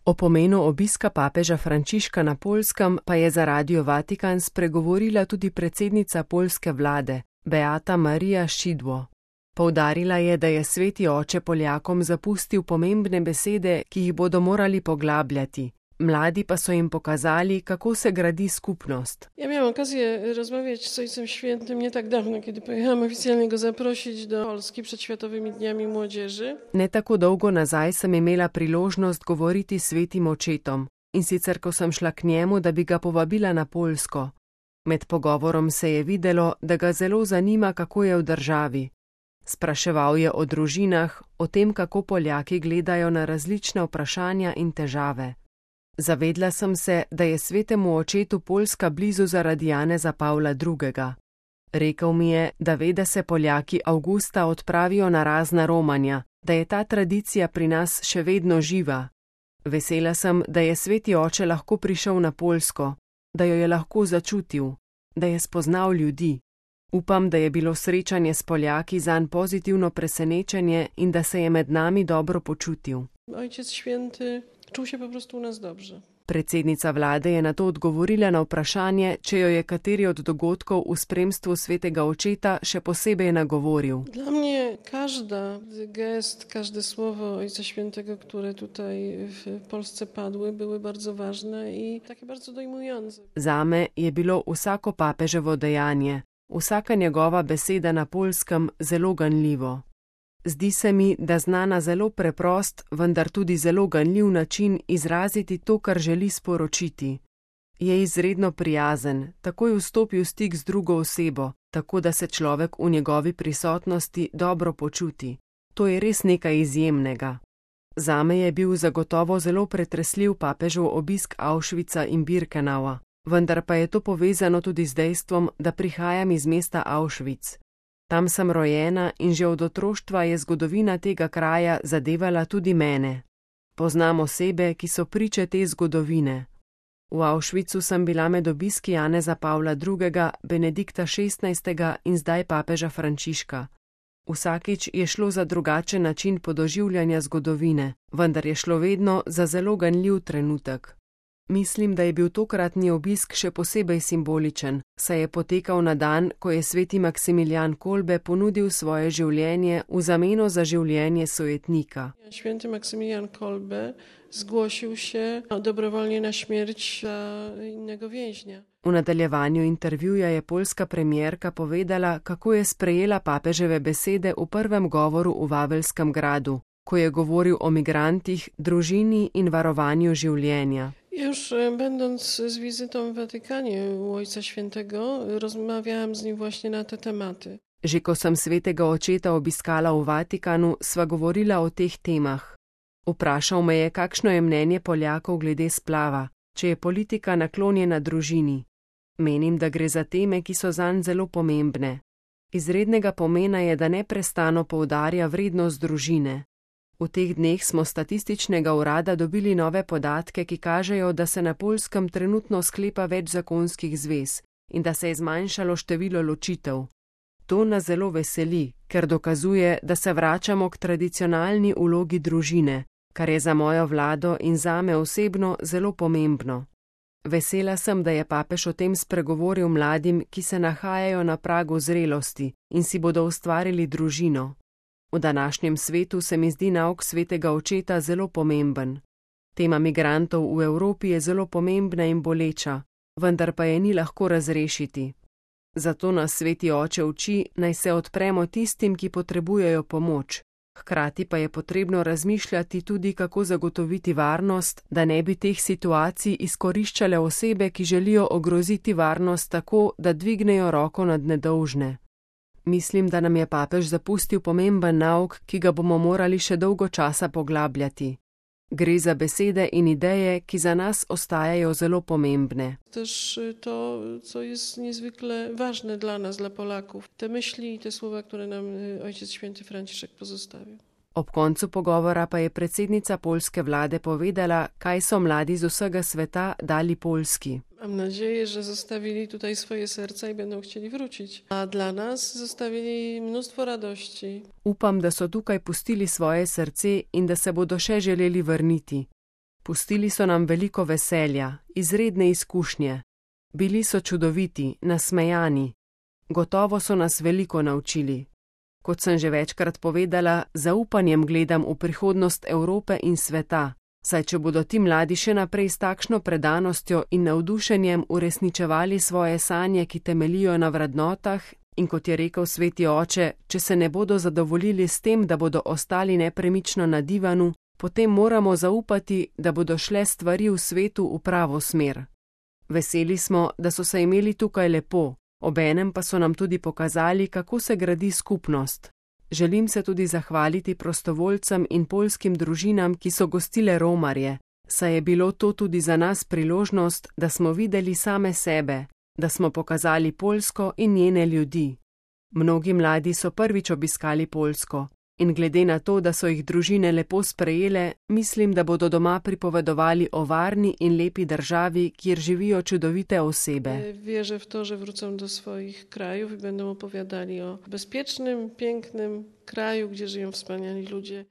O pomenu obiska papeža Frančiška na Poljskem pa je za Radio Vatikan spregovorila tudi predsednica poljske vlade, Beata Maria Szydło. Poudarila je, da je sveti oče Poljakom zapustil pomembne besede, ki jih bodo morali poglabljati. Mladi pa so jim pokazali, kako se gradi skupnost. Ja miałam okazję rozmawiać z Ojcem Świętym nie tak dawno, kiedy pojechałam oficjalnie go zaprosić do Polski przed Światowymi Dniami Młodzieży. Ne tako dolgo nazaj sem imela priložnost govoriti s svetim očetom, in sicer ko sem šla k njemu, da bi ga povabila na Poljsko. Med pogovorom se je videlo, da ga zelo zanima, kako je v državi. Spraševal je o družinah, o tem, kako Poljaki gledajo na različna vprašanja in težave. Zavedla sem se, da je svetemu očetu Poljska blizu zaradi Janeza Pavla II. Rekel mi je, da ve, da se Poljaki avgusta odpravijo na razna romanja, da je ta tradicija pri nas še vedno živa. Vesela sem, da je sveti oče lahko prišel na Poljsko, da jo je lahko začutil, da je spoznal ljudi. Upam, da je bilo srečanje s Poljaki zanj pozitivno presenečenje in da se je med nami dobro počutil. Ojciec Święty czuł się po prostu u nas dobrze. Predsednica vlade je na to odgovorila na vprašanje, če jo je kateri od dogodkov v spremstvu svetega očeta še posebej nagovoril. Dla mnie każdy gest, każde słowo Ojca Świętego, które tutaj w Polsce padły, były bardzo ważne i takie bardzo dojmujące. Zame je bilo vsako papeževo dejanje, vsaka njegova beseda na Poljskem zelo ganljivo. Zdi se mi, da zna na zelo preprost, vendar tudi zelo ganljiv način izraziti to, kar želi sporočiti. Je izredno prijazen, takoj vstopi v stik z drugo osebo, tako da se človek v njegovi prisotnosti dobro počuti. To je res nekaj izjemnega. Zame je bil zagotovo zelo pretresljiv papežev obisk Auschwitza in Birkenaua, vendar pa je to povezano tudi z dejstvom, da prihajam iz mesta Auschwitz. Tam sem rojena in že od otroštva je zgodovina tega kraja zadevala tudi mene. Poznam osebe, ki so priče te zgodovine. V Auschwitzu sem bila med obiski Janeza Pavla II., Benedikta XVI. In zdaj papeža Frančiška. Vsakič je šlo za drugačen način podoživljanja zgodovine, vendar je šlo vedno za zelo ganljiv trenutek. Mislim, da je bil tokratni obisk še posebej simboličen, saj je potekal na dan, ko je sveti Maksimilijan Kolbe ponudil svoje življenje v zameno za življenje sojetnika. Święty Maksymilian Kolbe zgłosił się dobrowolnie na śmierć za innego więźnia. V nadaljevanju intervjuja je poljska premierka povedala, kako je sprejela papeževe besede v prvem govoru v Wawelskem gradu, ko je govoril o migrantih, družini in varovanju življenja. Już będąc z wizytą w Watykanie u Ojca Świętego, rozmawiałam z nim właśnie na te tematy. Že ko sem svetega očeta obiskala v Vatikanu, sva govorila o teh temah. Vprašal me je, kakšno je mnenje Poljakov glede splava, če je politika naklonjena družini. Menim, da gre za teme, ki so zanj zelo pomembne. Izrednega pomena je, da neprestano poudarja vrednost družine. V teh dneh smo statističnega urada dobili nove podatke, ki kažejo, da se na Poljskem trenutno sklepa več zakonskih zvez in da se je zmanjšalo število ločitev. To nas zelo veseli, ker dokazuje, da se vračamo k tradicionalni vlogi družine, kar je za mojo vlado in zame osebno zelo pomembno. Vesela sem, da je papež o tem spregovoril mladim, ki se nahajajo na pragu zrelosti in si bodo ustvarili družino. V današnjem svetu se mi zdi nauk svetega očeta zelo pomemben. Tema migrantov v Evropi je zelo pomembna in boleča, vendar pa je ni lahko razrešiti. Zato nas sveti oče uči, naj se odpremo tistim, ki potrebujejo pomoč. Hkrati pa je potrebno razmišljati tudi, kako zagotoviti varnost, da ne bi teh situacij izkoriščale osebe, ki želijo ogroziti varnost tako, da dvignejo roko nad nedolžne. Mislim, da nam je papež zapustil pomemben nauk, ki ga bomo morali še dolgo časa poglabljati. Gre za besede in ideje, ki za nas ostajajo zelo pomembne. Też to, co jest niezwykle ważne dla nas, dla Polaków. Te myśli i te słowa, które nam Ojciec Święty Franciszek pozostawił. Ob koncu pogovora pa je predsednica poljske vlade povedala, kaj so mladi z vsega sveta dali Poljski. Mam nadzieję, że zostawili tutaj swoje serca i będą chcieli wrócić. A dla nas zostawili mnóstwo radości. Upam, da so tukaj pustili svoje srce in da se bodo še želeli vrniti. Pustili so nam veliko veselja, izredne izkušnje. Bili so čudoviti, nasmejani. Gotovo so nas veliko naučili. Kot sem že večkrat povedala, zaupanjem gledam v prihodnost Evrope in sveta, saj če bodo ti mladi še naprej s takšno predanostjo in navdušenjem uresničevali svoje sanje, ki temeljijo na vrednotah, in kot je rekel sveti oče, če se ne bodo zadovoljili s tem, da bodo ostali nepremično na divanu, potem moramo zaupati, da bodo šle stvari v svetu v pravo smer. Veseli smo, da so se imeli tukaj lepo, obenem pa so nam tudi pokazali, kako se gradi skupnost. Želim se tudi zahvaliti prostovoljcem in poljskim družinam, ki so gostile romarje, saj je bilo to tudi za nas priložnost, da smo videli same sebe, da smo pokazali Poljsko in njene ljudi. Mnogi mladi so prvič obiskali Poljsko in glede na to, da so jih družine lepo sprejele, mislim, da bodo doma pripovedovali o varni in lepi državi, kjer živijo čudovite osebe. Wierzę w to, że wrócą do swoich krajów i będą opowiadali o bezpiecznym, pięknym kraju, gdzie żyją wspaniali ludzie.